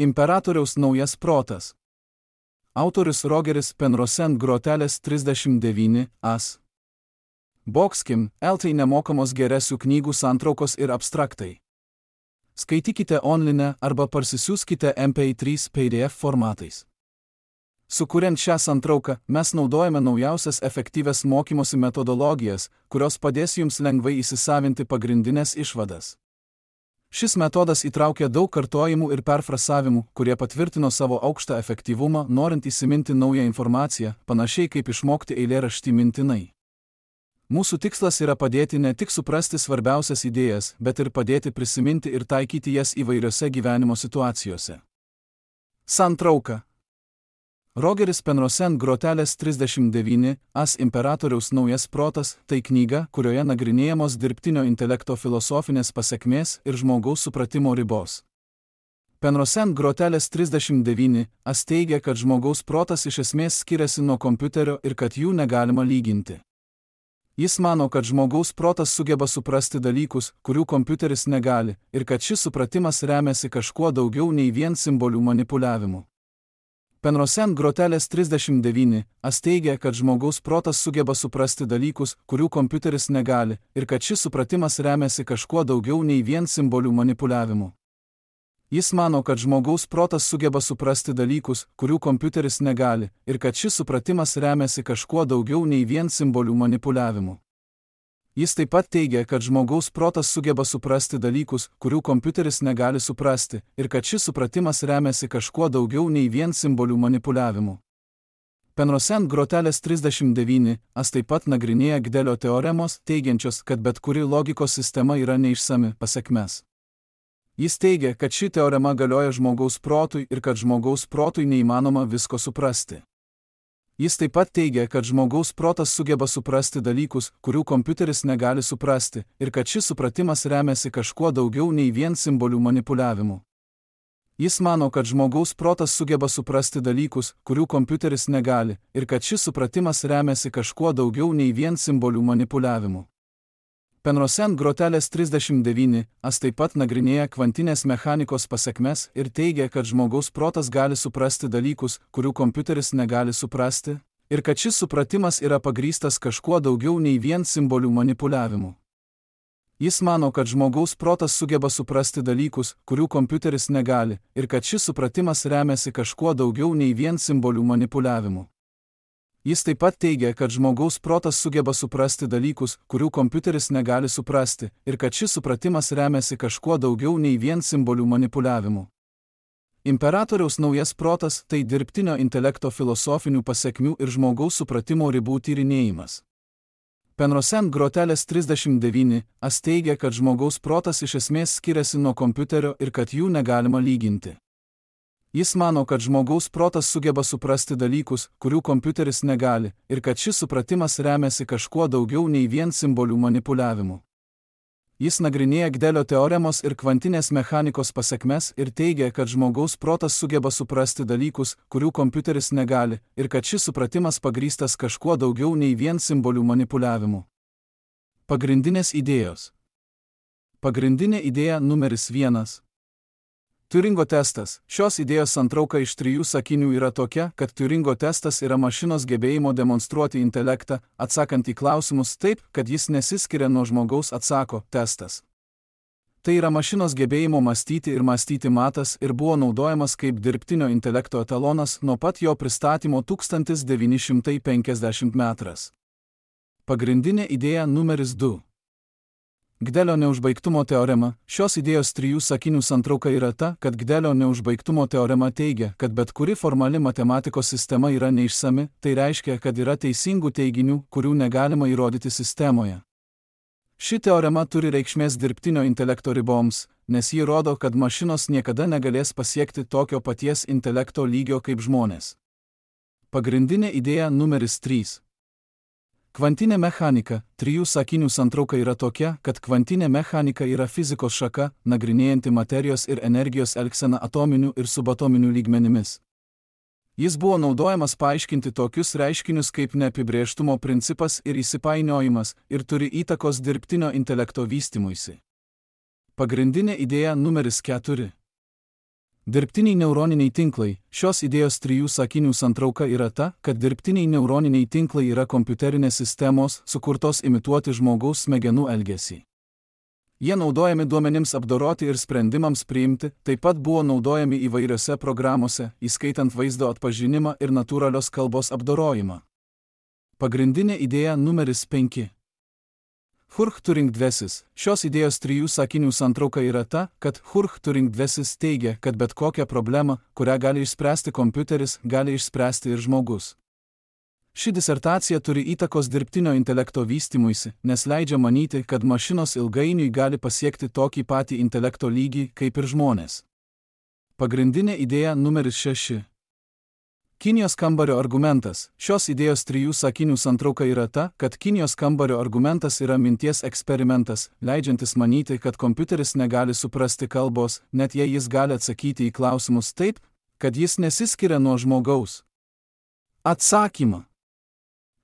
Imperatoriaus naujas protas. Autorius Rogeris Penrose Groteles 39 as. Boxkim, LT nemokamos geresių knygų santraukos ir abstraktai. Skaitykite online arba parsisiųskite MP3 PDF formatais. Sukuriant šią santrauką, mes naudojame naujausias efektyvias mokymosi metodologijas, kurios padės jums lengvai įsisavinti pagrindinės išvadas. Šis metodas įtraukia daug kartojimų ir perfrasavimų, kurie patvirtino savo aukštą efektyvumą, norint įsiminti naują informaciją, panašiai kaip išmokti eilėraštį mintinai. Mūsų tikslas yra padėti ne tik suprasti svarbiausias idėjas, bet ir padėti prisiminti ir taikyti jas įvairiose gyvenimo situacijose. Santrauka. Rogeris Penrose Groteles 39 as Imperatoriaus naujas protas – tai knyga, kurioje nagrinėjamos dirbtinio intelekto filosofinės pasekmės ir žmogaus supratimo ribos. Penrose Groteles 39 as teigia, kad žmogaus protas iš esmės skiriasi nuo kompiuterio ir kad jų negalima lyginti. Jis mano, kad žmogaus protas sugeba suprasti dalykus, kurių kompiuteris negali, ir kad šis supratimas remiasi kažkuo daugiau nei vien simbolių manipuliavimu. Penrose Groteles 39 as teigia, kad žmogaus protas sugeba suprasti dalykus, kurių kompiuteris negali, ir kad šis supratimas remiasi kažkuo daugiau nei vien simbolių manipuliavimu. Jis mano, kad žmogaus protas sugeba suprasti dalykus, kurių kompiuteris negali, ir kad šis supratimas remiasi kažkuo daugiau nei vien simbolių manipuliavimu. Jis taip pat teigia, kad žmogaus protas sugeba suprasti dalykus, kurių kompiuteris negali suprasti, ir kad šis supratimas remiasi kažkuo daugiau nei vien simbolių manipuliavimu. Penrose Groteles 39 as taip pat nagrinėja Gdelio teoremos, teigiančios, kad bet kuri logikos sistema yra neišsami pasekmes. Jis teigia, kad ši teorema galioja žmogaus protui ir kad žmogaus protui neįmanoma visko suprasti. Jis taip pat teigia, kad žmogaus protas sugeba suprasti dalykus, kurių kompiuteris negali suprasti, ir kad šis supratimas remiasi kažkuo daugiau nei vien simbolių manipuliavimu. Jis mano, kad žmogaus protas sugeba suprasti dalykus, kurių kompiuteris negali, ir kad šis supratimas remiasi kažkuo daugiau nei vien simbolių manipuliavimu. Penrose Groteles 39 as taip pat nagrinėja kvantinės mechanikos pasekmes ir teigia, kad žmogaus protas gali suprasti dalykus, kurių kompiuteris negali suprasti, ir kad šis supratimas yra pagrįstas kažkuo daugiau nei vien simbolių manipuliavimu. Jis mano, kad žmogaus protas sugeba suprasti dalykus, kurių kompiuteris negali, ir kad šis supratimas remiasi kažkuo daugiau nei vien simbolių manipuliavimu. Jis taip pat teigia, kad žmogaus protas sugeba suprasti dalykus, kurių kompiuteris negali suprasti, ir kad šis supratimas remiasi kažkuo daugiau nei vien simbolių manipuliavimu. Imperatoriaus naujas protas – tai dirbtinio intelekto filosofinių pasekmių ir žmogaus supratimo ribų tyrinėjimas. Penrose Groteles 39 as teigia, kad žmogaus protas iš esmės skiriasi nuo kompiuterio ir kad jų negalima lyginti. Jis mano, kad žmogaus protas sugeba suprasti dalykus, kurių kompiuteris negali, ir kad šis supratimas remiasi kažkuo daugiau nei vien simbolių manipuliavimu. Jis nagrinėja Gdelio teoremos ir kvantinės mechanikos pasekmes ir teigia, kad žmogaus protas sugeba suprasti dalykus, kurių kompiuteris negali, ir kad šis supratimas pagrįstas kažkuo daugiau nei vien simbolių manipuliavimu. Pagrindinės idėjos. Pagrindinė idėja numeris 1. Turingo testas. Šios idėjos santrauka iš 3 sakinių yra tokia, kad Turingo testas yra mašinos gebėjimo demonstruoti intelektą, atsakant į klausimus taip, kad jis nesiskiria nuo žmogaus – testas. Tai yra mašinos gebėjimo mąstyti ir mąstyti matas ir buvo naudojamas kaip dirbtinio intelekto etalonas nuo pat jo pristatymo 1950 metras. Pagrindinė idėja numeris 2. Gdelio neužbaigtumo teorema. Šios idėjos 3 sakinių santrauka yra ta, kad Gdelio neužbaigtumo teorema teigia, kad bet kuri formali matematikos sistema yra neišsami, tai reiškia, kad yra teisingų teiginių, kurių negalima įrodyti sistemoje. Ši teorema turi reikšmės dirbtinio intelekto riboms, nes ji rodo, kad mašinos niekada negalės pasiekti tokio paties intelekto lygio kaip žmonės. Pagrindinė idėja numeris 3. Kvantinė mechanika. 3 sakinių santrauka yra tokia, kad kvantinė mechanika yra fizikos šaka, nagrinėjanti materijos ir energijos elgseną atominių ir subatominių lygmenimis. Jis buvo naudojamas paaiškinti tokius reiškinius kaip neapibrėžtumo principas ir įsipainiojimas ir turi įtakos dirbtinio intelekto vystymuisi. Pagrindinė idėja numeris 4. Dirbtiniai neuroniniai tinklai. Šios idėjos 3 sakinių santrauka yra ta, kad dirbtiniai neuroniniai tinklai yra kompiuterinės sistemos, sukurtos imituoti žmogaus smegenų elgesį. Jie naudojami duomenims apdoroti ir sprendimams priimti, taip pat buvo naudojami įvairiose programose, įskaitant vaizdo atpažinimą ir natūralios kalbos apdorojimą. Pagrindinė idėja numeris 5. Turing dvesis. Šios idėjos 3 sakinių santrauka yra ta, kad Turing dvesis teigia, kad bet kokią problemą, kurią gali išspręsti kompiuteris, gali išspręsti ir žmogus. Ši disertacija turi įtakos dirbtinio intelekto vystymuisi, nes leidžia manyti, kad mašinos ilgainiui gali pasiekti tokį patį intelekto lygį, kaip ir žmonės. Pagrindinė idėja numeris 6. Kinijos kambario argumentas. Šios idėjos 3 sakinių santrauka yra ta, kad Kinijos kambario argumentas yra minties eksperimentas, leidžiantis manyti, kad kompiuteris negali suprasti kalbos, net jei jis gali atsakyti į klausimus taip, kad jis nesiskiria nuo žmogaus. Atsakymą.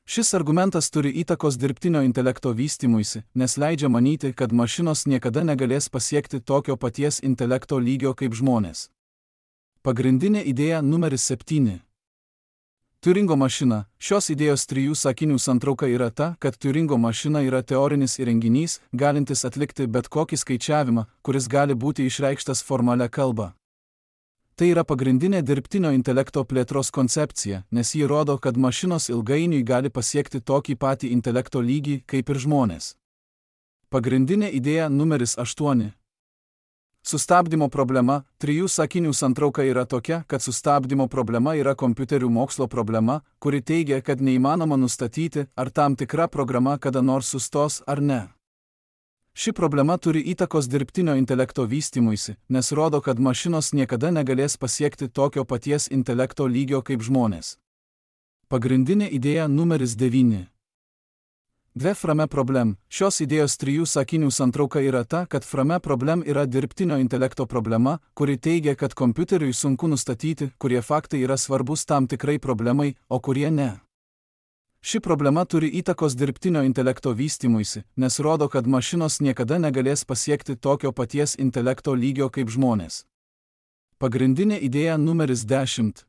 Šis argumentas turi įtakos dirbtinio intelekto vystymuisi, nes leidžia manyti, kad mašinos niekada negalės pasiekti tokio paties intelekto lygio kaip žmonės. Pagrindinė idėja numeris 7. Turingo mašina. Šios idėjos 3 sakinių santrauka yra ta, kad Turingo mašina yra teorinis įrenginys, galintis atlikti bet kokį skaičiavimą, kuris gali būti išreikštas formalia kalba. Tai yra pagrindinė dirbtinio intelekto plėtros koncepcija, nes ji rodo, kad mašinos ilgainiui gali pasiekti tokį patį intelekto lygį kaip ir žmonės. Pagrindinė idėja numeris 8. Sustabdymo problema. 3 sakinių santrauka yra tokia, kad sustabdymo problema yra kompiuterių mokslo problema, kuri teigia, kad neįmanoma nustatyti, ar tam tikra programa kada nors sustos ar ne. Ši problema turi įtakos dirbtinio intelekto vystymuisi, nes rodo, kad mašinos niekada negalės pasiekti tokio paties intelekto lygio kaip žmonės. Pagrindinė idėja numeris 9. Frame problem. Šios idėjos 3 sakinių santrauka yra ta, kad frame problem yra dirbtinio intelekto problema, kuri teigia, kad kompiuteriui sunku nustatyti, kurie faktai yra svarbus tam tikrai problemai, o kurie ne. Ši problema turi įtakos dirbtinio intelekto vystymuisi, nes rodo, kad mašinos niekada negalės pasiekti tokio paties intelekto lygio kaip žmonės. Pagrindinė idėja numeris 10.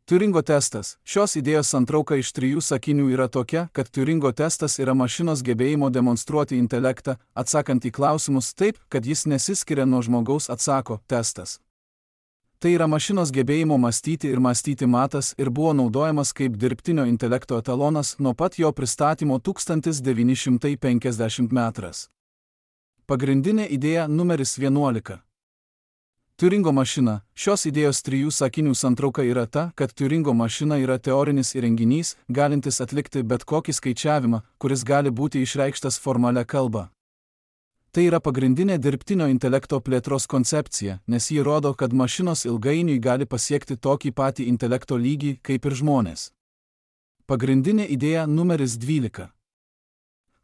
Turingo testas. Šios idėjos santrauka iš 3 sakinių yra tokia, kad Turingo testas yra mašinos gebėjimo demonstruoti intelektą, atsakant į klausimus taip, kad jis nesiskiria nuo žmogaus atsako testas. Tai yra mašinos gebėjimo mąstyti ir mąstyti matas ir buvo naudojamas kaip dirbtinio intelekto etalonas nuo pat jo pristatymo 1950 metras. Pagrindinė idėja numeris 11. Turingo mašina. Šios idėjos 3 sakinių santrauka yra ta, kad Turingo mašina yra teorinis įrenginys, galintis atlikti bet kokį skaičiavimą, kuris gali būti išreikštas formalia kalba. Tai yra pagrindinė dirbtinio intelekto plėtros koncepcija, nes ji rodo, kad mašinos ilgainiui gali pasiekti tokį patį intelekto lygį kaip ir žmonės. Pagrindinė idėja numeris 12.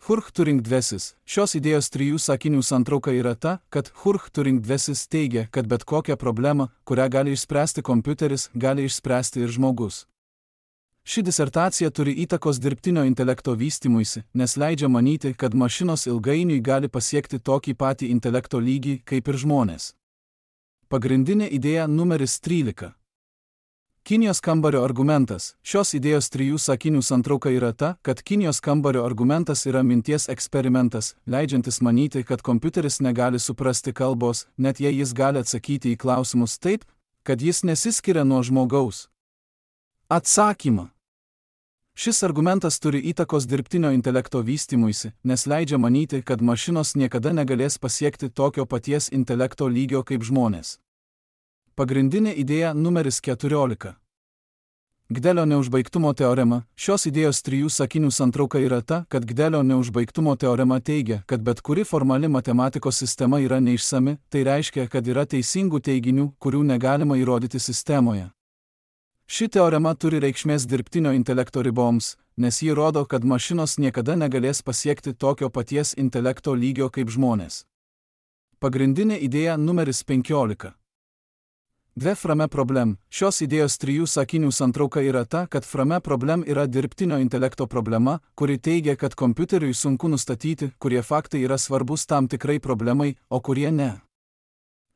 Turing dvesis. Šios idėjos 3 sakinių santrauka yra ta, kad Turing dvesis teigia, kad bet kokią problemą, kurią gali išspręsti kompiuteris, gali išspręsti ir žmogus. Ši disertacija turi įtakos dirbtinio intelekto vystymuisi, nes leidžia manyti, kad mašinos ilgainiui gali pasiekti tokį patį intelekto lygį kaip ir žmonės. Pagrindinė idėja numeris 13. Kinijos kambario argumentas. Šios idėjos 3 sakinių santrauka yra ta, kad Kinijos kambario argumentas yra minties eksperimentas, leidžiantis manyti, kad kompiuteris negali suprasti kalbos, net jei jis gali atsakyti į klausimus taip, kad jis nesiskiria nuo žmogaus. Atsakymą. Šis argumentas turi įtakos dirbtinio intelekto vystymuisi, nes leidžia manyti, kad mašinos niekada negalės pasiekti tokio paties intelekto lygio kaip žmonės. Pagrindinė idėja numeris 14. Gdelio neužbaigtumo teorema. Šios idėjos 3 sakinių santrauka yra ta, kad Gdelio neužbaigtumo teorema teigia, kad bet kuri formali matematikos sistema yra neišsami, tai reiškia, kad yra teisingų teiginių, kurių negalima įrodyti sistemoje. Ši teorema turi reikšmės dirbtinio intelekto riboms, nes ji rodo, kad mašinos niekada negalės pasiekti tokio paties intelekto lygio kaip žmonės. Pagrindinė idėja numeris 15. Frame problem. Šios idėjos 3 sakinių santrauka yra ta, kad frame problem yra dirbtinio intelekto problema, kuri teigia, kad kompiuteriui sunku nustatyti, kurie faktai yra svarbus tam tikrai problemai, o kurie ne.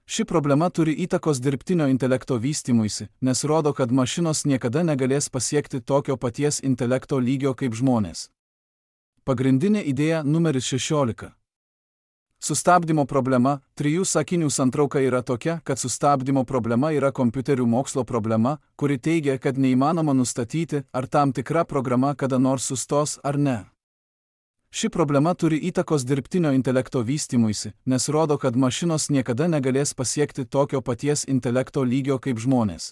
Ši problema turi įtakos dirbtinio intelekto vystymuisi, nes rodo, kad mašinos niekada negalės pasiekti tokio paties intelekto lygio kaip žmonės. Pagrindinė idėja numeris 16. Sustabdymo problema. 3 sakinių santrauka yra tokia, kad sustabdymo problema yra kompiuterių mokslo problema, kuri teigia, kad neįmanoma nustatyti, ar tam tikra programa kada nors sustos ar ne. Ši problema turi įtakos dirbtinio intelekto vystymuisi, nes rodo, kad mašinos niekada negalės pasiekti tokio paties intelekto lygio kaip žmonės.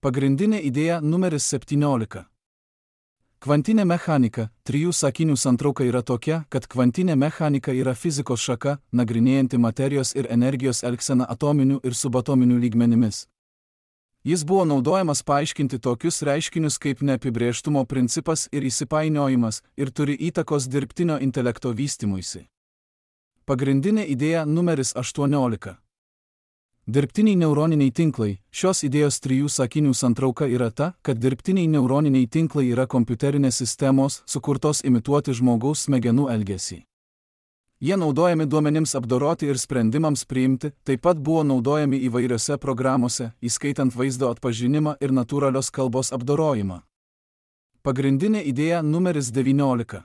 Pagrindinė idėja numeris 17. Kvantinė mechanika. 3 sakinių santrauka yra tokia, kad kvantinė mechanika yra fizikos šaka, nagrinėjanti materijos ir energijos elgseną atominių ir subatominių lygmenimis. Jis buvo naudojamas paaiškinti tokius reiškinius kaip neapibrėžtumo principas ir įsipainiojimas ir turi įtakos dirbtinio intelekto vystymuisi. Pagrindinė idėja numeris 18. Dirbtiniai neuroniniai tinklai. Šios idėjos 3 sakinių santrauka yra ta, kad dirbtiniai neuroniniai tinklai yra kompiuterinės sistemos, sukurtos imituoti žmogaus smegenų elgesį. Jie naudojami duomenims apdoroti ir sprendimams priimti, taip pat buvo naudojami įvairiose programose, įskaitant vaizdo atpažinimą ir natūralios kalbos apdorojimą. Pagrindinė idėja numeris 19.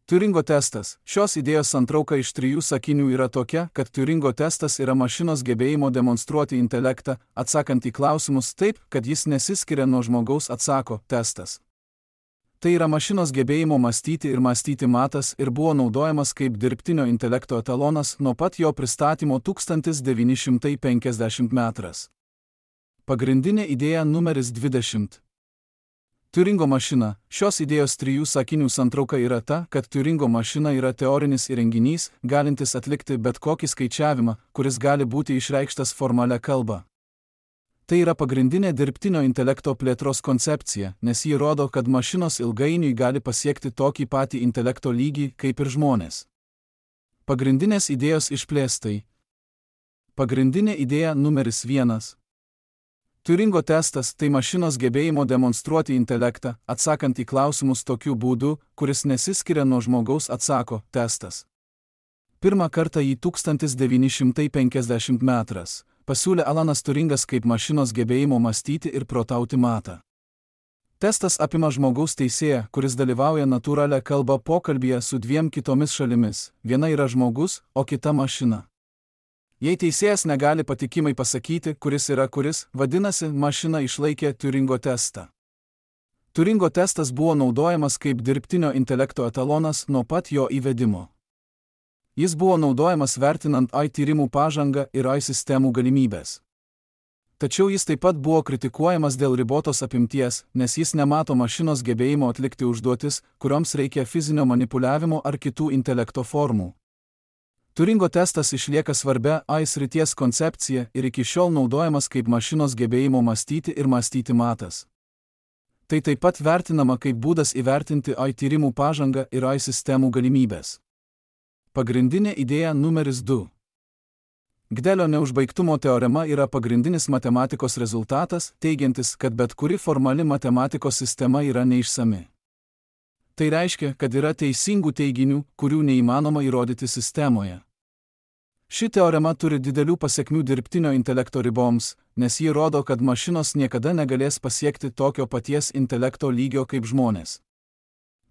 Turingo testas. Šios idėjos santrauka iš 3 sakinių yra tokia, kad Turingo testas yra mašinos gebėjimo demonstruoti intelektą, atsakant į klausimus taip, kad jis nesiskiria nuo žmogaus atsako testas. Tai yra mašinos gebėjimo mąstyti ir mąstyti matas ir buvo naudojamas kaip dirbtinio intelekto etalonas nuo pat jo pristatymo 1950 metrais. Pagrindinė idėja numeris 20. Turingo mašina. Šios idėjos 3 sakinių santrauka yra ta, kad Turingo mašina yra teorinis įrenginys, galintis atlikti bet kokį skaičiavimą, kuris gali būti išreikštas formalia kalba. Tai yra pagrindinė dirbtinio intelekto plėtros koncepcija, nes ji rodo, kad mašinos ilgainiui gali pasiekti tokį patį intelekto lygį kaip ir žmonės. Pagrindinės idėjos išplėstai. Pagrindinė idėja numeris 1. Turingo testas tai mašinos gebėjimo demonstruoti intelektą, atsakant į klausimus tokiu būdu, kuris nesiskiria nuo žmogaus atsako testas. Pirmą kartą jį 1950 metrais pasiūlė Alanas Turingas kaip mašinos gebėjimo mąstyti ir protauti matą. Testas apima žmogaus teisėją, kuris dalyvauja natūralią kalbą pokalbyje su 2 kitomis šalimis. Viena yra žmogus, o kita mašina. Jei teisėjas negali patikimai pasakyti, kuris yra kuris, vadinasi, mašina išlaikė Turingo testą. Turingo testas buvo naudojamas kaip dirbtinio intelekto etalonas nuo pat jo įvedimo. Jis buvo naudojamas vertinant AI tyrimų pažangą ir AI sistemų galimybės. Tačiau jis taip pat buvo kritikuojamas dėl ribotos apimties, nes jis nemato mašinos gebėjimo atlikti užduotis, kurioms reikia fizinio manipuliavimo ar kitų intelekto formų. Turingo testas išlieka svarbia AI srities koncepcija ir iki šiol naudojamas kaip mašinos gebėjimo mąstyti ir mąstyti matas. Tai taip pat vertinama kaip būdas įvertinti AI tyrimų pažangą ir AI sistemų galimybės. Pagrindinė idėja numeris 2. Gdelio neužbaigtumo teorema yra pagrindinis matematikos rezultatas, teigiantis, kad bet kuri formali matematikos sistema yra neišsami. Tai reiškia, kad yra teisingų teiginių, kurių neįmanoma įrodyti sistemoje. Ši teorema turi didelių pasekmių dirbtinio intelekto riboms, nes ji rodo, kad mašinos niekada negalės pasiekti tokio paties intelekto lygio kaip žmonės.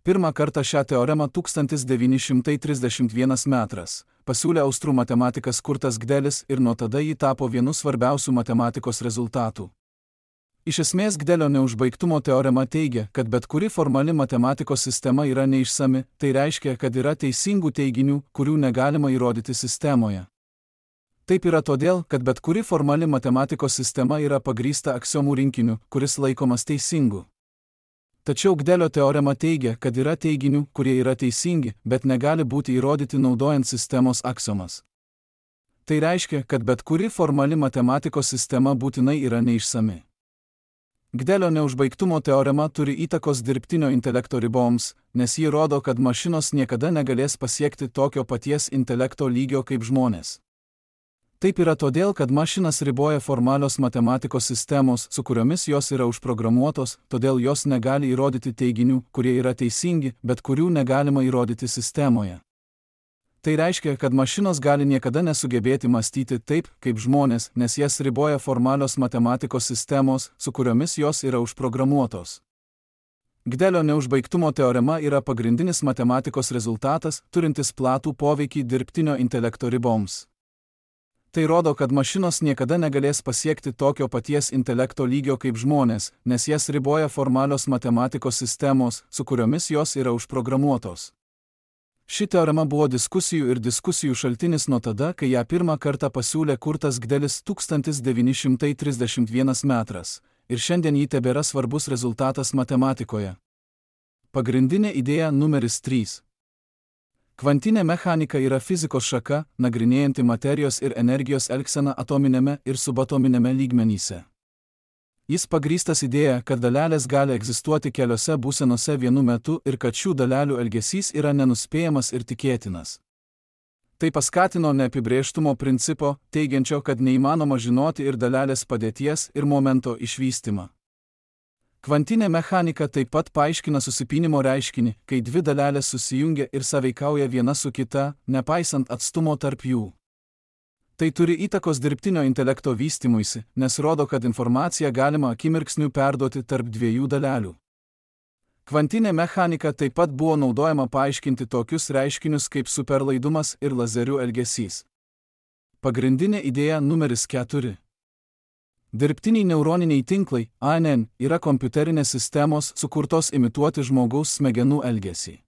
Pirmą kartą šią teoremą 1931 metrais pasiūlė austrų matematikas Kurtas Gdelis ir nuo tada ji tapo vienu svarbiausių matematikos rezultatų. Iš esmės Gdelio neužbaigtumo teorema teigia, kad bet kuri formali matematikos sistema yra neišsami, tai reiškia, kad yra teisingų teiginių, kurių negalima įrodyti sistemoje. Taip yra todėl, kad bet kuri formali matematikos sistema yra pagrįsta aksiomų rinkiniu, kuris laikomas teisingu. Tačiau Gdelio teorema teigia, kad yra teiginių, kurie yra teisingi, bet negali būti įrodyti naudojant sistemos aksiomas. Tai reiškia, kad bet kuri formali matematikos sistema būtinai yra neišsami. Gdelio neužbaigtumo teorema turi įtakos dirbtinio intelekto riboms, nes ji rodo, kad mašinos niekada negalės pasiekti tokio paties intelekto lygio kaip žmonės. Taip yra todėl, kad mašinas riboja formalios matematikos sistemos, su kuriomis jos yra užprogramuotos, todėl jos negali įrodyti teiginių, kurie yra teisingi, bet kurių negalima įrodyti sistemoje. Tai reiškia, kad mašinos gali niekada nesugebėti mąstyti taip, kaip žmonės, nes jas riboja formalios matematikos sistemos, su kuriomis jos yra užprogramuotos. Gdelio neužbaigtumo teorema yra pagrindinis matematikos rezultatas, turintis platų poveikį dirbtinio intelekto riboms. Tai rodo, kad mašinos niekada negalės pasiekti tokio paties intelekto lygio kaip žmonės, nes jas riboja formalios matematikos sistemos, su kuriomis jos yra užprogramuotos. Ši teorema buvo diskusijų ir diskusijų šaltinis nuo tada, kai ją pirmą kartą pasiūlė Kurtas Gdelis 1931 metras, ir šiandien ji tebėra svarbus rezultatas matematikoje. Pagrindinė idėja numeris 3. Kvantinė mechanika yra fizikos šaka, nagrinėjanti materijos ir energijos elgseną atominėme ir subatominėme lygmenyse. Jis pagrįstas idėja, kad dalelės gali egzistuoti keliose būsenose vienu metu ir kad šių dalelių elgesys yra nenuspėjamas ir tikėtinas. Tai paskatino neapibrėžtumo principo, teigiančio, kad neįmanoma žinoti ir dalelės padėties ir momento išvystymą. Kvantinė mechanika taip pat paaiškina susipynimo reiškinį, kai dvi dalelės susijungia ir sąveikauja viena su kita, nepaisant atstumo tarp jų. Tai turi įtakos dirbtinio intelekto vystymuisi, nes rodo, kad informaciją galima akimirksniu perduoti tarp dviejų dalelių. Kvantinė mechanika taip pat buvo naudojama paaiškinti tokius reiškinius kaip superlaidumas ir lazerių elgesys. Pagrindinė idėja numeris 4. Dirbtiniai neuroniniai tinklai, ANN, yra kompiuterinės sistemos sukurtos imituoti žmogaus smegenų elgesį.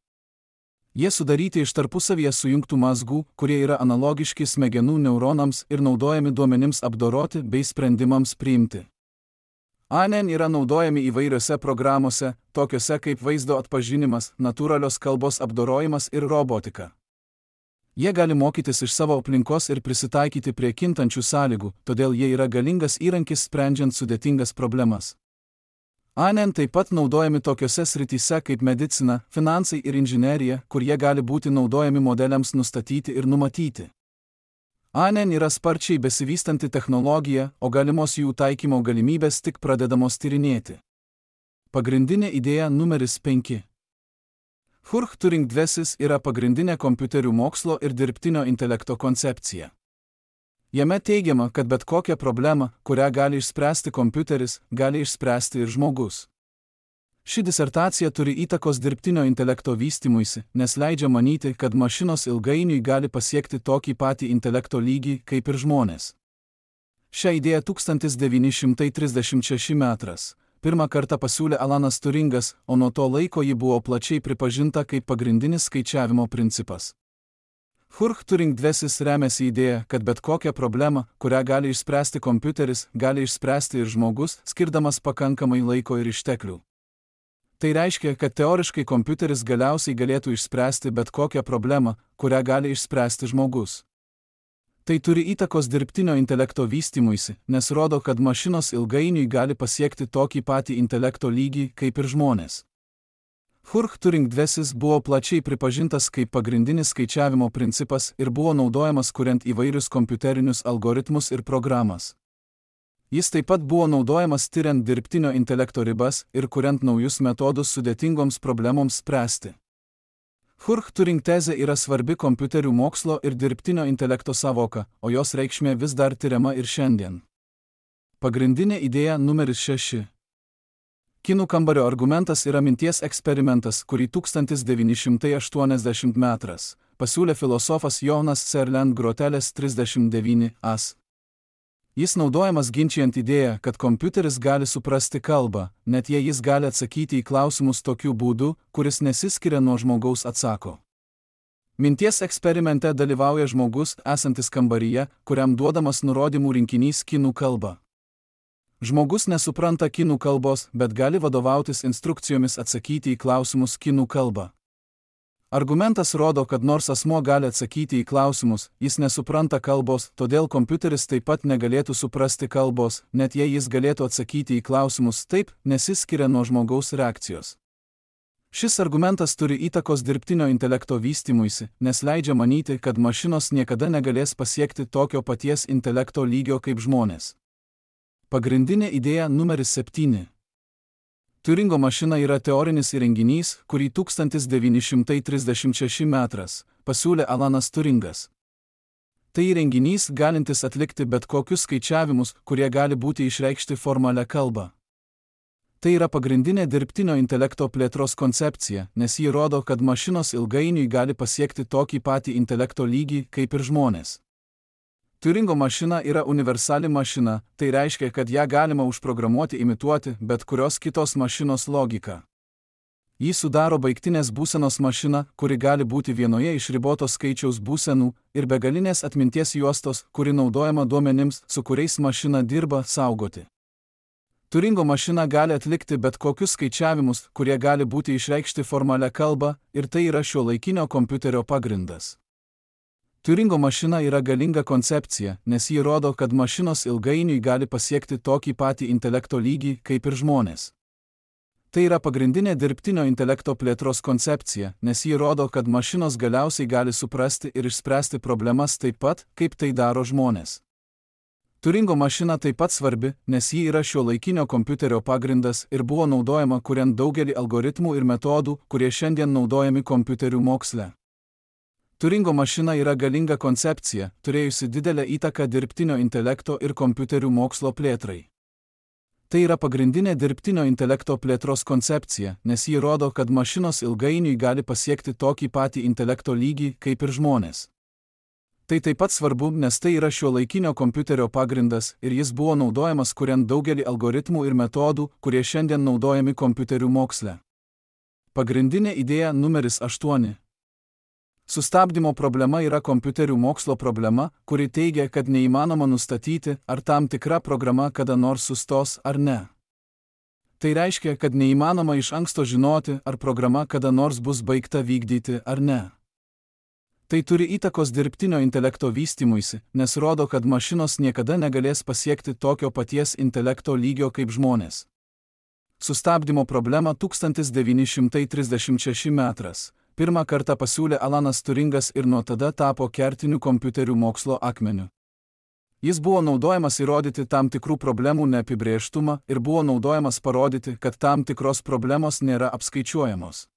Jie sudaryti iš tarpusavyje sujungtų mazgų, kurie yra analogiški smegenų neuronams ir naudojami duomenims apdoroti bei sprendimams priimti. ANN yra naudojami įvairiose programose, tokiose kaip vaizdo atpažinimas, natūralios kalbos apdorojimas ir robotika. Jie gali mokytis iš savo aplinkos ir prisitaikyti prie kintančių sąlygų, todėl jie yra galingas įrankis sprendžiant sudėtingas problemas. ANN taip pat naudojami tokiose srityse kaip medicina, finansai ir inžinerija, kur jie gali būti naudojami modeliams nustatyti ir numatyti. ANN yra sparčiai besivystanti technologija, o galimos jų taikymo galimybės tik pradedamos tyrinėti. Pagrindinė idėja numeris 5. Turing-dvesis yra pagrindinė kompiuterių mokslo ir dirbtinio intelekto koncepcija. Jame teigiama, kad bet kokią problemą, kurią gali išspręsti kompiuteris, gali išspręsti ir žmogus. Ši disertacija turi įtakos dirbtinio intelekto vystymuisi, nes leidžia manyti, kad mašinos ilgainiui gali pasiekti tokį patį intelekto lygį kaip ir žmonės. Šią idėją 1936 metras pirmą kartą pasiūlė Alanas Turingas, o nuo to laiko ji buvo plačiai pripažinta kaip pagrindinis skaičiavimo principas. Turing-dvesis remiasi idėja, kad bet kokią problemą, kurią gali išspręsti kompiuteris, gali išspręsti ir žmogus, skirdamas pakankamai laiko ir išteklių. Tai reiškia, kad teoriškai kompiuteris galiausiai galėtų išspręsti bet kokią problemą, kurią gali išspręsti žmogus. Tai turi įtakos dirbtinio intelekto vystymuisi, nes rodo, kad mašinos ilgainiui gali pasiekti tokį patį intelekto lygį kaip ir žmonės. Turing-dvesis buvo plačiai pripažintas kaip pagrindinis skaičiavimo principas ir buvo naudojamas kuriant įvairius kompiuterinius algoritmus ir programas. Jis taip pat buvo naudojamas tyriant dirbtinio intelekto ribas ir kuriant naujus metodus sudėtingoms problemoms spręsti. Turing tezė yra svarbi kompiuterių mokslo ir dirbtinio intelekto sąvoka, o jos reikšmė vis dar tyriama ir šiandien. Pagrindinė idėja numeris 6. Kinų kambario argumentas yra minties eksperimentas, kurį 1980 metras pasiūlė filosofas Jonas Serlend Groteles 39as. Jis naudojamas ginčijant idėją, kad kompiuteris gali suprasti kalbą, net jei jis gali atsakyti į klausimus tokiu būdu, kuris nesiskiria nuo žmogaus atsako. Minties eksperimente dalyvauja žmogus, esantis kambaryje, kuriam duodamas nurodymų rinkinys kinų kalba. Žmogus nesupranta kinų kalbos, bet gali vadovautis instrukcijomis atsakyti į klausimus kinų kalba. Argumentas rodo, kad nors asmuo gali atsakyti į klausimus, jis nesupranta kalbos, todėl kompiuteris taip pat negalėtų suprasti kalbos, net jei jis galėtų atsakyti į klausimus taip, nesiskiria nuo žmogaus reakcijos. Šis argumentas turi įtakos dirbtinio intelekto vystymuisi, nes leidžia manyti, kad mašinos niekada negalės pasiekti tokio paties intelekto lygio kaip žmonės. Pagrindinė idėja numeris 7. Turingo mašina yra teorinis įrenginys, kurį 1936 metras pasiūlė Alanas Turingas. Tai įrenginys galintis atlikti bet kokius skaičiavimus, kurie gali būti išreikšti formalia kalba. Tai yra pagrindinė dirbtinio intelekto plėtros koncepcija, nes ji rodo, kad mašinos ilgainiui gali pasiekti tokį patį intelekto lygį kaip ir žmonės. Turingo mašina yra universali mašina, tai reiškia, kad ją galima užprogramuoti imituoti bet kurios kitos mašinos logiką. Jį sudaro baigtinės būsenos mašina, kuri gali būti vienoje iš ribotos skaičiaus būsenų, ir begalinės atminties juostos, kuri naudojama duomenims, su kuriais mašina dirba, saugoti. Turingo mašina gali atlikti bet kokius skaičiavimus, kurie gali būti išreikšti formalia kalba, ir tai yra šiuolaikinio kompiuterio pagrindas. Turingo mašina yra galinga koncepcija, nes ji rodo, kad mašinos ilgainiui gali pasiekti tokį patį intelekto lygį kaip ir žmonės. Tai yra pagrindinė dirbtinio intelekto plėtros koncepcija, nes ji rodo, kad mašinos galiausiai gali suprasti ir išspręsti problemas taip pat, kaip tai daro žmonės. Turingo mašina taip pat svarbi, nes ji yra šiuolaikinio kompiuterio pagrindas ir buvo naudojama kuriant daugelį algoritmų ir metodų, kurie šiandien naudojami kompiuterių moksle. Turingo mašina yra galinga koncepcija, turėjusi didelę įtaką dirbtinio intelekto ir kompiuterių mokslo plėtrai. Tai yra pagrindinė dirbtinio intelekto plėtros koncepcija, nes ji rodo, kad mašinos ilgainiui gali pasiekti tokį patį intelekto lygį kaip ir žmonės. Tai taip pat svarbu, nes tai yra šiuolaikinio kompiuterio pagrindas ir jis buvo naudojamas kuriant daugelį algoritmų ir metodų, kurie šiandien naudojami kompiuterių moksle. Pagrindinė idėja numeris 8. Sustabdymo problema yra kompiuterių mokslo problema, kuri teigia, kad neįmanoma nustatyti, ar tam tikra programa kada nors sustos ar ne. Tai reiškia, kad neįmanoma iš anksto žinoti, ar programa kada nors bus baigta vykdyti ar ne. Tai turi įtakos dirbtinio intelekto vystymuisi, nes rodo, kad mašinos niekada negalės pasiekti tokio paties intelekto lygio kaip žmonės. Sustabdymo problemą 1936 metras pirmą kartą pasiūlė Alanas Turingas ir nuo tada tapo kertiniu kompiuterių mokslo akmeniu. Jis buvo naudojamas įrodyti tam tikrų problemų neapibrėžtumą ir buvo naudojamas parodyti, kad tam tikros problemos nėra apskaičiuojamos.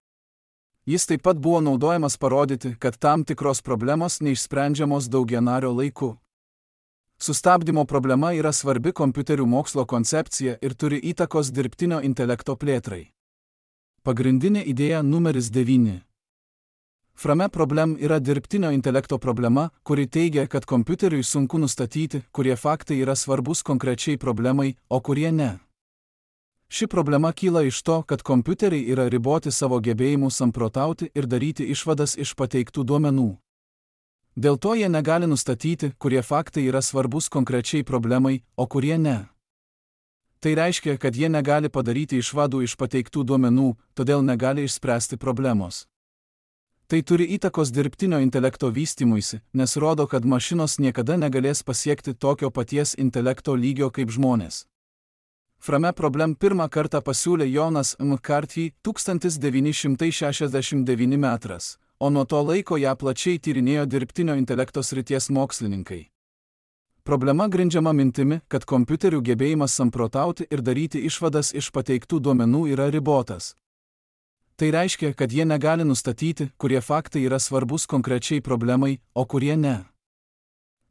Jis taip pat buvo naudojamas parodyti, kad tam tikros problemos neišsprendžiamos daugianario laiku. Sustabdymo problema yra svarbi kompiuterių mokslo koncepcija ir turi įtakos dirbtinio intelekto plėtrai. Pagrindinė idėja numeris 9. Frame problem yra dirbtinio intelekto problema, kuri teigia, kad kompiuteriui sunku nustatyti, kurie faktai yra svarbus konkrečiai problemai, o kurie ne. Ši problema kyla iš to, kad kompiuteriai yra riboti savo gebėjimų samprotauti ir daryti išvadas iš pateiktų duomenų. Dėl to jie negali nustatyti, kurie faktai yra svarbus konkrečiai problemai, o kurie ne. Tai reiškia, kad jie negali padaryti išvadų iš pateiktų duomenų, todėl negali išspręsti problemos. Tai turi įtakos dirbtinio intelekto vystymuisi, nes rodo, kad mašinos niekada negalės pasiekti tokio paties intelekto lygio kaip žmonės. Frame problem pirmą kartą pasiūlė Jonas McCarthy 1969 metras, o nuo to laiko ją plačiai tyrinėjo dirbtinio intelekto srities mokslininkai. Problema grindžiama mintimi, kad kompiuterių gebėjimas samprotauti ir daryti išvadas iš pateiktų duomenų yra ribotas. Tai reiškia, kad jie negali nustatyti, kurie faktai yra svarbus konkrečiai problemai, o kurie ne.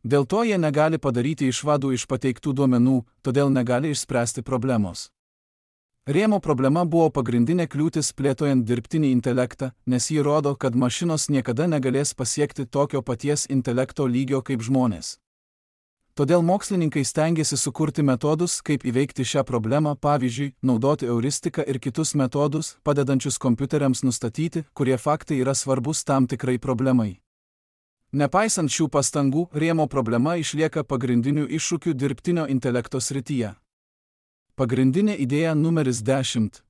Dėl to jie negali padaryti išvadų iš pateiktų duomenų, todėl negali išspręsti problemos. Rėmo problema buvo pagrindinė kliūtis plėtojant dirbtinį intelektą, nes ji rodo, kad mašinos niekada negalės pasiekti tokio paties intelekto lygio kaip žmonės. Todėl mokslininkai stengiasi sukurti metodus, kaip įveikti šią problemą, pavyzdžiui, naudoti euristiką ir kitus metodus, padedančius kompiuteriams nustatyti, kurie faktai yra svarbus tam tikrai problemai. Nepaisant šių pastangų, Rėmo problema išlieka pagrindiniu iššūkiu dirbtinio intelekto srityje. Pagrindinė idėja numeris 10.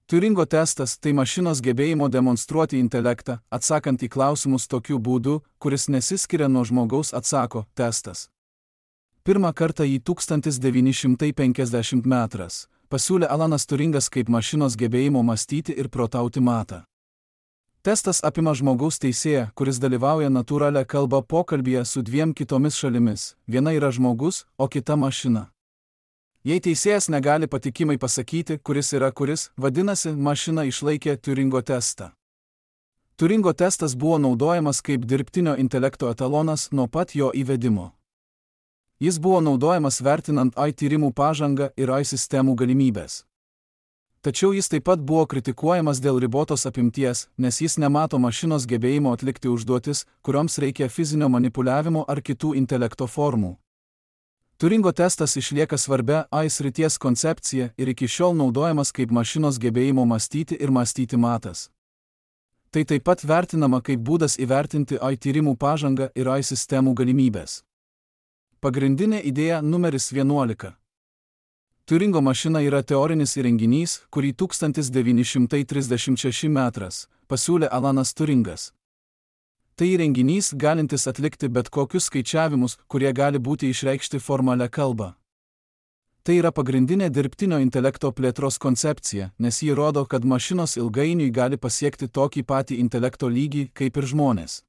Turingo testas – tai mašinos gebėjimo demonstruoti intelektą, atsakant į klausimus tokiu būdu, kuris nesiskiria nuo žmogaus atsako testas. Pirmą kartą jį 1950 metras pasiūlė Alanas Turingas kaip mašinos gebėjimo mąstyti ir protauti matą. Testas apima žmogaus teisėją, kuris dalyvauja natūralią kalbą pokalbyje su dviem kitomis šalimis, viena yra žmogus, o kita mašina. Jei teisėjas negali patikimai pasakyti, kuris yra kuris, vadinasi, mašina išlaikė Turingo testą. Turingo testas buvo naudojamas kaip dirbtinio intelekto etalonas nuo pat jo įvedimo. Jis buvo naudojamas vertinant AI tyrimų pažangą ir AI sistemų galimybės. Tačiau jis taip pat buvo kritikuojamas dėl ribotos apimties, nes jis nemato mašinos gebėjimo atlikti užduotis, kurioms reikia fizinio manipuliavimo ar kitų intelekto formų. Turingo testas išlieka svarbia AI srities koncepcija ir iki šiol naudojamas kaip mašinos gebėjimo mąstyti ir mąstyti matas. Tai taip pat vertinama kaip būdas įvertinti AI tyrimų pažangą ir AI sistemų galimybės. Pagrindinė idėja numeris 11. Turingo mašina yra teorinis įrenginys, kurį 1936 metras pasiūlė Alanas Turingas. Tai įrenginys galintis atlikti bet kokius skaičiavimus, kurie gali būti išreikšti formalią kalbą. Tai yra pagrindinė dirbtinio intelekto plėtros koncepcija, nes ji rodo, kad mašinos ilgainiui gali pasiekti tokį patį intelekto lygį kaip ir žmonės.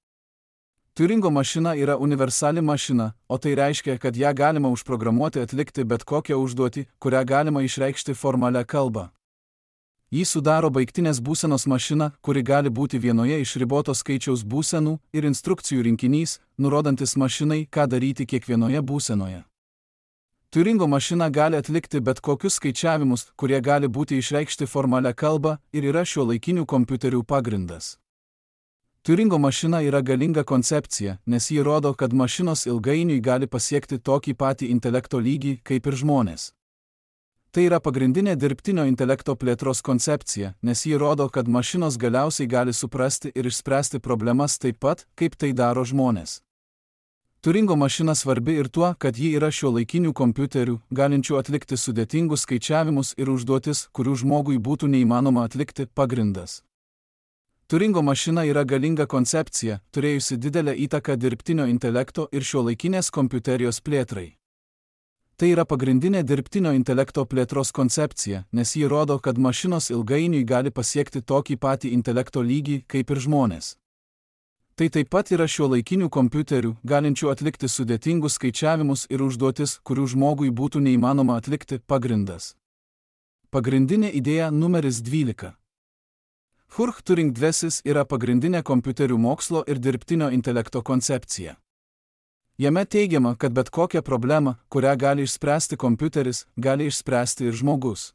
Turingo mašina yra universali mašina, o tai reiškia, kad ją galima užprogramuoti atlikti bet kokią užduotį, kurią galima išreikšti formalią kalbą. Jį sudaro baigtinės būsenos mašina, kuri gali būti vienoje iš riboto skaičiaus būsenų ir instrukcijų rinkinys, nurodantis mašinai, ką daryti kiekvienoje būsenoje. Turingo mašina gali atlikti bet kokius skaičiavimus, kurie gali būti išreikšti formalią kalbą ir yra šiuolaikinių kompiuterių pagrindas. Turingo mašina yra galinga koncepcija, nes ji rodo, kad mašinos ilgainiui gali pasiekti tokį patį intelekto lygį kaip ir žmonės. Tai yra pagrindinė dirbtinio intelekto plėtros koncepcija, nes ji rodo, kad mašinos galiausiai gali suprasti ir išspręsti problemas taip pat, kaip tai daro žmonės. Turingo mašina svarbi ir tuo, kad ji yra šiuolaikinių kompiuterių, galinčių atlikti sudėtingus skaičiavimus ir užduotis, kurių žmogui būtų neįmanoma atlikti, pagrindas. Turingo mašina yra galinga koncepcija, turėjusi didelę įtaką dirbtinio intelekto ir šiuolaikinės kompiuterijos plėtrai. Tai yra pagrindinė dirbtinio intelekto plėtros koncepcija, nes ji rodo, kad mašinos ilgainiui gali pasiekti tokį patį intelekto lygį kaip ir žmonės. Tai taip pat yra šiuolaikinių kompiuterių, galinčių atlikti sudėtingus skaičiavimus ir užduotis, kurių žmogui būtų neįmanoma atlikti, pagrindas. Pagrindinė idėja numeris 12. Turing dvesis yra pagrindinė kompiuterių mokslo ir dirbtinio intelekto koncepcija. Jame teigiama, kad bet kokią problemą, kurią gali išspręsti kompiuteris, gali išspręsti ir žmogus.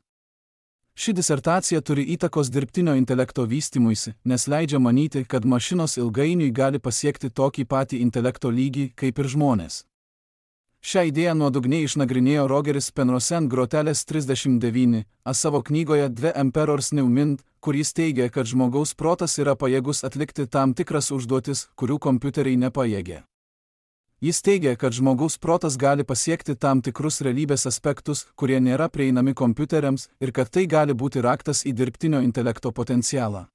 Ši disertacija turi įtakos dirbtinio intelekto vystymuisi, nes leidžia manyti, kad mašinos ilgainiui gali pasiekti tokį patį intelekto lygį kaip ir žmonės. Šią idėją nuodugniai išnagrinėjo Rogeris Penrose Groteles 39, savo knygoje The Emperor's New Mind, kur jis teigia, kad žmogaus protas yra pajėgus atlikti tam tikras užduotis, kurių kompiuteriai nepajėgia. Jis teigia, kad žmogaus protas gali pasiekti tam tikrus realybės aspektus, kurie nėra prieinami kompiuteriams, ir kad tai gali būti raktas į dirbtinio intelekto potencialą.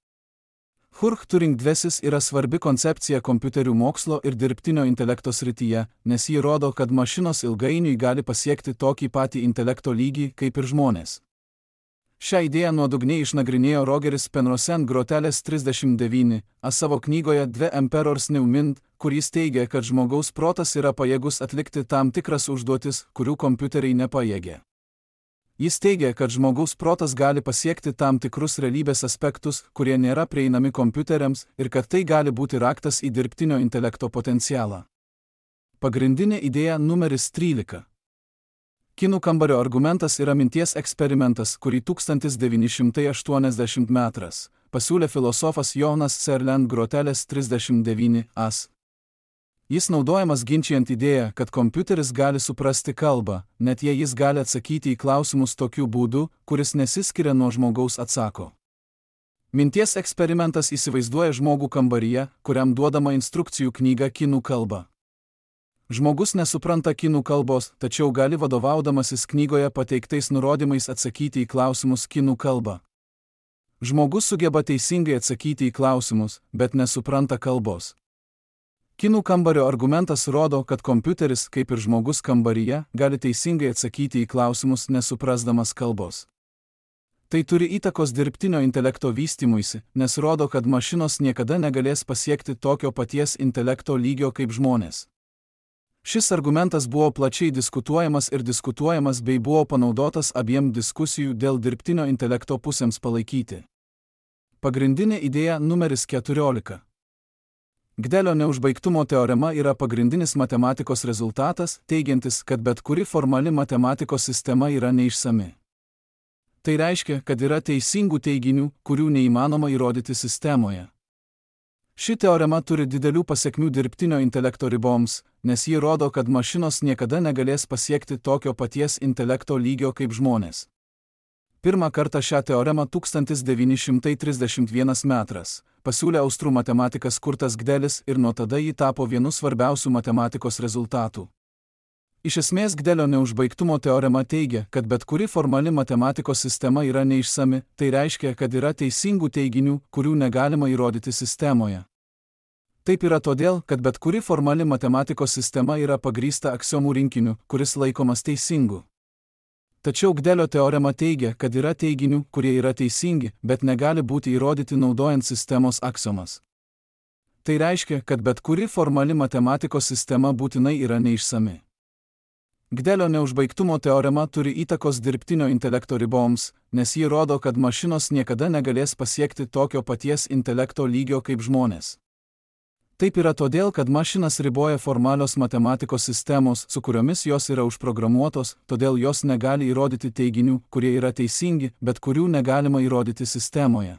Turing dvesis yra svarbi koncepcija kompiuterių mokslo ir dirbtinio intelekto srityje, nes ji rodo, kad mašinos ilgainiui gali pasiekti tokį patį intelekto lygį kaip ir žmonės. Šią idėją nuodugniai išnagrinėjo Rogeris Penrose Groteles 39, savo knygoje The Emperor's New Mind, kur jis teigia, kad žmogaus protas yra pajėgus atlikti tam tikras užduotis, kurių kompiuteriai nepajėgia. Jis teigia, kad žmogaus protas gali pasiekti tam tikrus realybės aspektus, kurie nėra prieinami kompiuteriams, ir kad tai gali būti raktas į dirbtinio intelekto potencialą. Pagrindinė idėja numeris 13. Kinų kambario argumentas yra minties eksperimentas, kurį 1980 metras pasiūlė filosofas Jonas Serland Groteles 39 as. Jis naudojamas ginčijant idėją, kad kompiuteris gali suprasti kalbą, net jei jis gali atsakyti į klausimus tokiu būdu, kuris nesiskiria nuo žmogaus atsako. Minties eksperimentas įsivaizduoja žmogų kambaryje, kuriam duodama instrukcijų knyga kinų kalba. Žmogus nesupranta kinų kalbos, tačiau gali vadovaudamasis knygoje pateiktais nurodymais atsakyti į klausimus kinų kalba. Žmogus sugeba teisingai atsakyti į klausimus, bet nesupranta kalbos. Kinų kambario argumentas rodo, kad kompiuteris, kaip ir žmogus kambaryje, gali teisingai atsakyti į klausimus nesuprasdamas kalbos. Tai turi įtakos dirbtinio intelekto vystymuisi, nes rodo, kad mašinos niekada negalės pasiekti tokio paties intelekto lygio kaip žmonės. Šis argumentas buvo plačiai diskutuojamas bei buvo panaudotas abiem diskusijų dėl dirbtinio intelekto pusėms palaikyti. Pagrindinė idėja numeris 14. Gdelio neužbaigtumo teorema yra pagrindinis matematikos rezultatas, teigiantis, kad bet kuri formali matematikos sistema yra neišsami. Tai reiškia, kad yra teisingų teiginių, kurių neįmanoma įrodyti sistemoje. Ši teorema turi didelių pasekmių dirbtinio intelekto riboms, nes ji rodo, kad mašinos niekada negalės pasiekti tokio paties intelekto lygio kaip žmonės. Pirmą kartą šią teoremą 1931 metais pasiūlė austrų matematikas Kurtas Gdelis ir nuo tada ji tapo vienu svarbiausių matematikos rezultatų. Iš esmės Gdelio neužbaigtumo teorema teigia, kad bet kuri formali matematikos sistema yra neišsami, tai reiškia, kad yra teisingų teiginių, kurių negalima įrodyti sistemoje. Taip yra todėl, kad bet kuri formali matematikos sistema yra pagrįsta aksiomų rinkiniu, kuris laikomas teisingu. Tačiau Gdelio teorema teigia, kad yra teiginių, kurie yra teisingi, bet negali būti įrodyti naudojant sistemos aksiomas. Tai reiškia, kad bet kuri formali matematikos sistema būtinai yra neišsami. Gdelio neužbaigtumo teorema turi įtakos dirbtinio intelekto riboms, nes ji rodo, kad mašinos niekada negalės pasiekti tokio paties intelekto lygio kaip žmonės. Taip yra todėl, kad mašinas riboja formalios matematikos sistemos, su kuriomis jos yra užprogramuotos, todėl jos negali įrodyti teiginių, kurie yra teisingi, bet kurių negalima įrodyti sistemoje.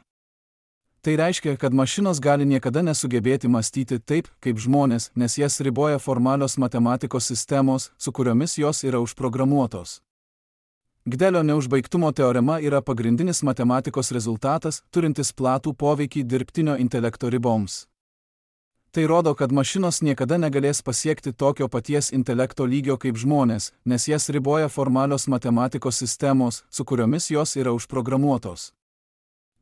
Tai reiškia, kad mašinos gali niekada nesugebėti mąstyti taip, kaip žmonės, nes jas riboja formalios matematikos sistemos, su kuriomis jos yra užprogramuotos. Gdelio neužbaigtumo teorema yra pagrindinis matematikos rezultatas, turintis platų poveikį dirbtinio intelekto riboms. Tai rodo, kad mašinos niekada negalės pasiekti tokio paties intelekto lygio kaip žmonės, nes jas riboja formalios matematikos sistemos, su kuriomis jos yra užprogramuotos.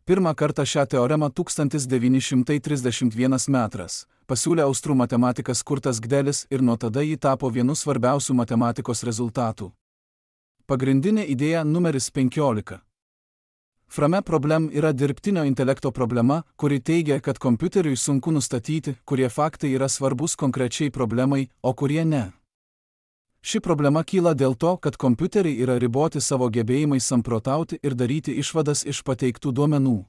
Pirmą kartą šią teoremą 1931 metais pasiūlė austrų matematikas Kurtas Gdelis ir nuo tada ji tapo vienu svarbiausių matematikos rezultatų. Pagrindinė idėja numeris 15. Frame problem yra dirbtinio intelekto problema, kuri teigia, kad kompiuteriui sunku nustatyti, kurie faktai yra svarbus konkrečiai problemai, o kurie ne. Ši problema kyla dėl to, kad kompiuteriai yra riboti savo gebėjimais samprotauti ir daryti išvadas iš pateiktų duomenų.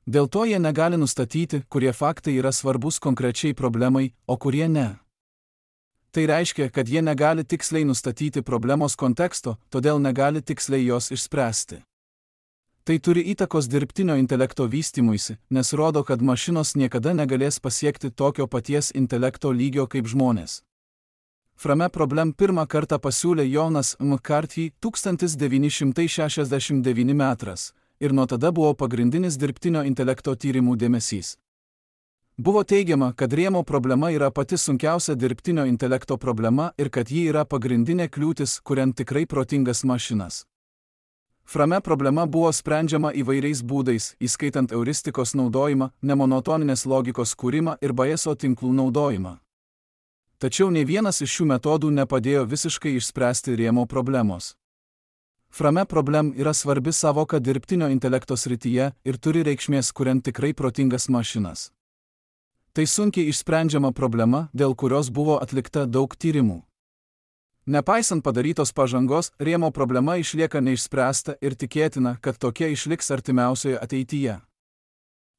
Dėl to jie negali nustatyti, kurie faktai yra svarbus konkrečiai problemai, o kurie ne. Tai reiškia, kad jie negali tiksliai nustatyti problemos konteksto, todėl negali tiksliai jos išspręsti. Tai turi įtakos dirbtinio intelekto vystymuisi, nes rodo, kad mašinos niekada negalės pasiekti tokio paties intelekto lygio kaip žmonės. Frame problem pirmą kartą pasiūlė Jonas McCarthy 1969 metais ir nuo tada buvo pagrindinis dirbtinio intelekto tyrimų dėmesys. Buvo teigiama, kad rėmo problema yra pati sunkiausia dirbtinio intelekto problema ir kad ji yra pagrindinė kliūtis, kuriant tikrai protingas mašinas. Frame problema buvo sprendžiama įvairiais būdais, įskaitant euristikos naudojimą, nemonotoninės logikos kūrimą ir Bayeso tinklų naudojimą. Tačiau nei vienas iš šių metodų nepadėjo visiškai išspręsti rėmo problemos. Frame problem yra svarbi savoka dirbtinio intelekto srityje ir turi reikšmės, kuriant tikrai protingas mašinas. Tai sunkiai išsprendžiama problema, dėl kurios buvo atlikta daug tyrimų. Nepaisant padarytos pažangos, rėmo problema išlieka neišspręsta ir tikėtina, kad tokia išliks artimiausioje ateityje.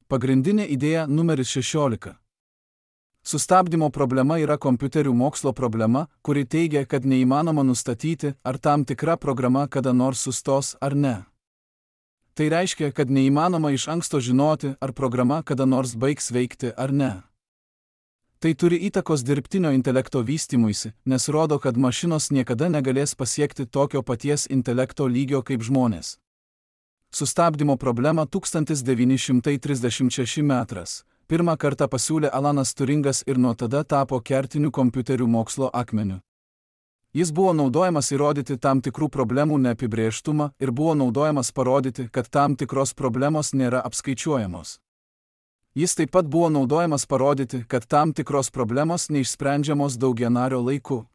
Pagrindinė idėja numeris 16. Sustabdymo problema yra kompiuterių mokslo problema, kuri teigia, kad neįmanoma nustatyti, ar tam tikra programa kada nors sustos ar ne. Tai reiškia, kad neįmanoma iš anksto žinoti, ar programa kada nors baigs veikti ar ne. Tai turi įtakos dirbtinio intelekto vystymuisi, nes rodo, kad mašinos niekada negalės pasiekti tokio paties intelekto lygio kaip žmonės. Sustabdymo problemą 1936 metais pirmą kartą pasiūlė Alanas Turingas ir nuo tada tapo kertiniu kompiuterių mokslo akmeniu. Jis buvo naudojamas įrodyti tam tikrų problemų neapibrėžtumą ir buvo naudojamas parodyti, kad tam tikros problemos nėra apskaičiuojamos. Jis taip pat buvo naudojamas parodyti, kad tam tikros problemos neišsprendžiamos daugianario laiku.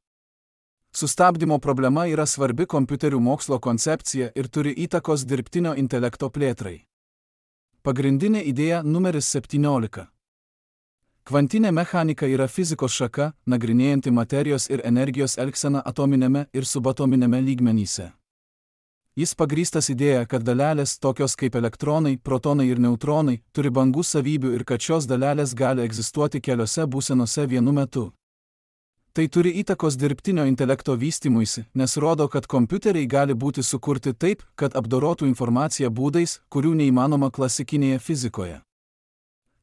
Sustabdymo problema yra svarbi kompiuterių mokslo koncepcija ir turi įtakos dirbtinio intelekto plėtrai. Pagrindinė idėja numeris 17. Kvantinė mechanika yra fizikos šaka, nagrinėjanti materijos ir energijos elgseną atominėme ir subatominėme lygmenyse. Jis pagrįstas idėja, kad dalelės, tokios kaip elektronai, protonai ir neutronai, turi bangų savybių ir kad šios dalelės gali egzistuoti keliose būsenose vienu metu. Tai turi įtakos dirbtinio intelekto vystymuisi, nes rodo, kad kompiuteriai gali būti sukurti taip, kad apdorotų informaciją būdais, kurių neįmanoma klasikinėje fizikoje.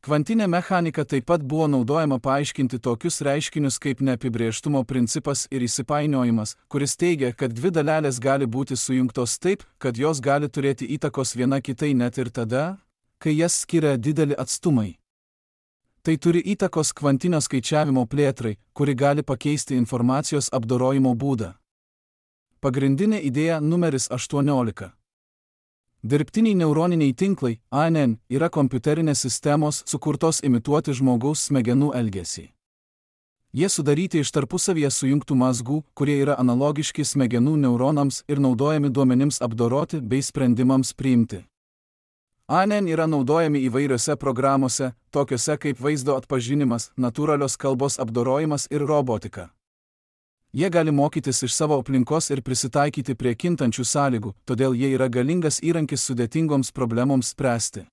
Kvantinė mechanika taip pat buvo naudojama paaiškinti tokius reiškinius kaip neapibrėžtumo principas ir įsipainiojimas, kuris teigia, kad dvi dalelės gali būti sujungtos taip, kad jos gali turėti įtakos viena kitai net ir tada, kai jas skiria dideli atstumai. Tai turi įtakos kvantinio skaičiavimo plėtrai, kuri gali pakeisti informacijos apdorojimo būdą. Pagrindinė idėja numeris 18. Dirbtiniai neuroniniai tinklai, ANN, yra kompiuterinės sistemos sukurtos imituoti žmogaus smegenų elgesį. Jie sudaryti iš tarpusavyje sujungtų mazgų, kurie yra analogiški smegenų neuronams ir naudojami duomenims apdoroti bei sprendimams priimti. ANN yra naudojami įvairiose programose, tokiose kaip vaizdo atpažinimas, natūralios kalbos apdorojimas ir robotika. Jie gali mokytis iš savo aplinkos ir prisitaikyti prie kintančių sąlygų, todėl jie yra galingas įrankis sudėtingoms problemoms spręsti.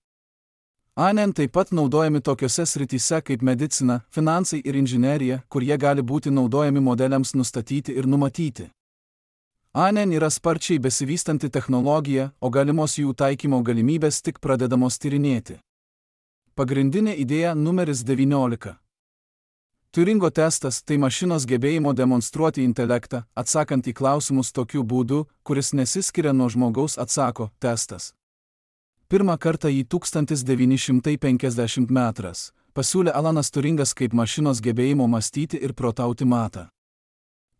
ANN taip pat naudojami tokiose srityse kaip medicina, finansai ir inžinerija, kur jie gali būti naudojami modeliams nustatyti ir numatyti. ANN yra sparčiai besivystanti technologija, o galimos jų taikymo galimybės tik pradedamos tyrinėti. Pagrindinė idėja numeris 19. Turingo testas – tai mašinos gebėjimo demonstruoti intelektą, atsakant į klausimus tokiu būdu, kuris nesiskiria nuo žmogaus atsako testas. Pirmą kartą jį 1950 metrais pasiūlė Alanas Turingas kaip mašinos gebėjimo mąstyti ir protauti matą.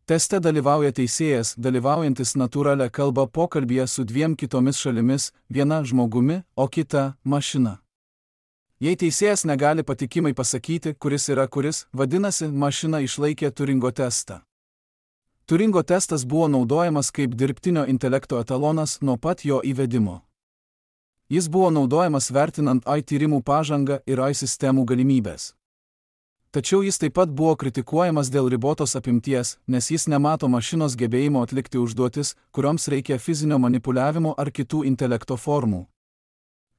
Teste dalyvauja teisėjas, dalyvaujantis natūralią kalbą pokalbyje su dviem kitomis šalimis, viena žmogumi, o kita – mašina. Jei teisėjas negali patikimai pasakyti, kuris yra kuris, vadinasi, mašina išlaikė Turingo testą. Turingo testas buvo naudojamas kaip dirbtinio intelekto etalonas nuo pat jo įvedimo. Jis buvo naudojamas vertinant AI tyrimų pažangą ir AI sistemų galimybės. Tačiau jis taip pat buvo kritikuojamas dėl ribotos apimties, nes jis nemato mašinos gebėjimo atlikti užduotis, kurioms reikia fizinio manipuliavimo ar kitų intelekto formų.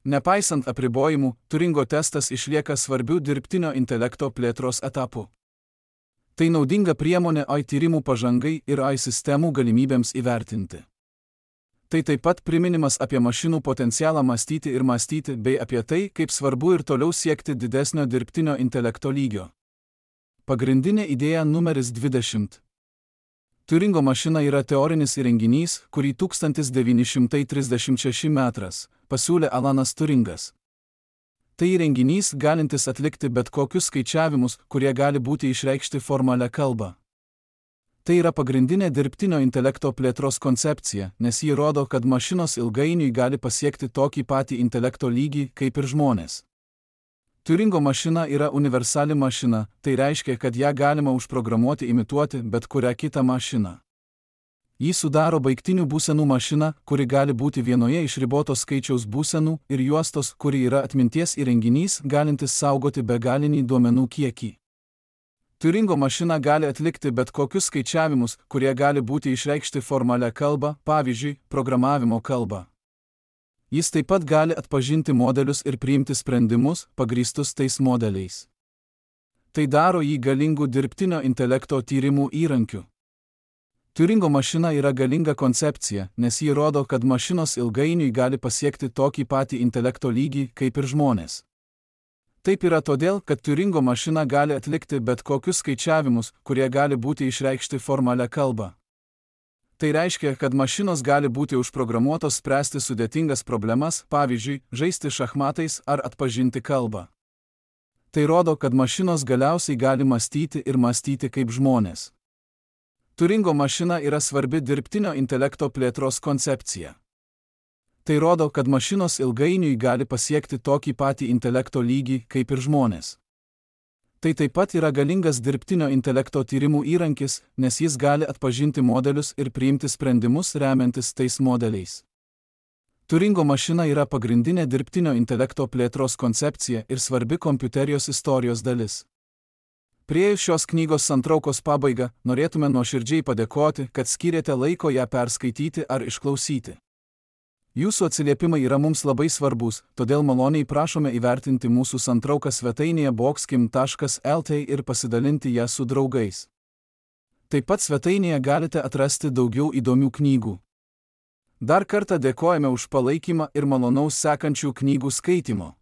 Nepaisant apribojimų, Turingo testas išlieka svarbiu dirbtinio intelekto plėtros etapu. Tai naudinga priemonė AI tyrimų pažangai ir AI sistemų galimybėms įvertinti. Tai taip pat priminimas apie mašinų potencialą mąstyti ir mąstyti bei apie tai, kaip svarbu ir toliau siekti didesnio dirbtinio intelekto lygio. Pagrindinė idėja numeris 20. Turingo mašina yra teorinis įrenginys, kurį 1936 metrais pasiūlė Alanas Turingas. Tai įrenginys galintis atlikti bet kokius skaičiavimus, kurie gali būti išreikšti formalią kalbą. Tai yra pagrindinė dirbtinio intelekto plėtros koncepcija, nes ji rodo, kad mašinos ilgainiui gali pasiekti tokį patį intelekto lygį kaip ir žmonės. Turingo mašina yra universali mašina, tai reiškia, kad ją galima užprogramuoti imituoti bet kurią kitą mašiną. Jį sudaro baigtinių būsenų mašina, kuri gali būti vienoje iš ribotos skaičiaus būsenų ir juostos, kuri yra atminties įrenginys, galintis saugoti begalinį duomenų kiekį. Turingo mašina gali atlikti bet kokius skaičiavimus, kurie gali būti išreikšti formalią kalbą, pavyzdžiui, programavimo kalbą. Jis taip pat gali atpažinti modelius ir priimti sprendimus, pagrįstus tais modeliais. Tai daro jį galingų dirbtinio intelekto tyrimų įrankiu. Turingo mašina yra galinga koncepcija, nes ji rodo, kad mašinos ilgainiui gali pasiekti tokį patį intelekto lygį kaip ir žmonės. Taip yra todėl, kad Turingo mašina gali atlikti bet kokius skaičiavimus, kurie gali būti išreikšti formalią kalbą. Tai reiškia, kad mašinos gali būti užprogramuotos spręsti sudėtingas problemas, pavyzdžiui, žaisti šachmatais ar atpažinti kalbą. Tai rodo, kad mašinos galiausiai gali mąstyti ir mąstyti kaip žmonės. Turingo mašina yra svarbi dirbtinio intelekto plėtros koncepcija. Tai rodo, kad mašinos ilgainiui gali pasiekti tokį patį intelekto lygį kaip ir žmonės. Tai taip pat yra galingas dirbtinio intelekto tyrimų įrankis, nes jis gali atpažinti modelius ir priimti sprendimus remiantis tais modeliais. Turingo mašina yra pagrindinė dirbtinio intelekto plėtros koncepcija ir svarbi kompiuterijos istorijos dalis. Priėjus šios knygos santraukos pabaigą, norėtume nuoširdžiai padėkoti, kad skyrėte laiko ją perskaityti ar išklausyti. Jūsų atsiliepimai yra mums labai svarbus, todėl maloniai prašome įvertinti mūsų santrauką svetainėje boxkim.lt ir pasidalinti ją su draugais. Taip pat svetainėje galite atrasti daugiau įdomių knygų. Dar kartą dėkojame už palaikymą ir malonaus sekančių knygų skaitymo.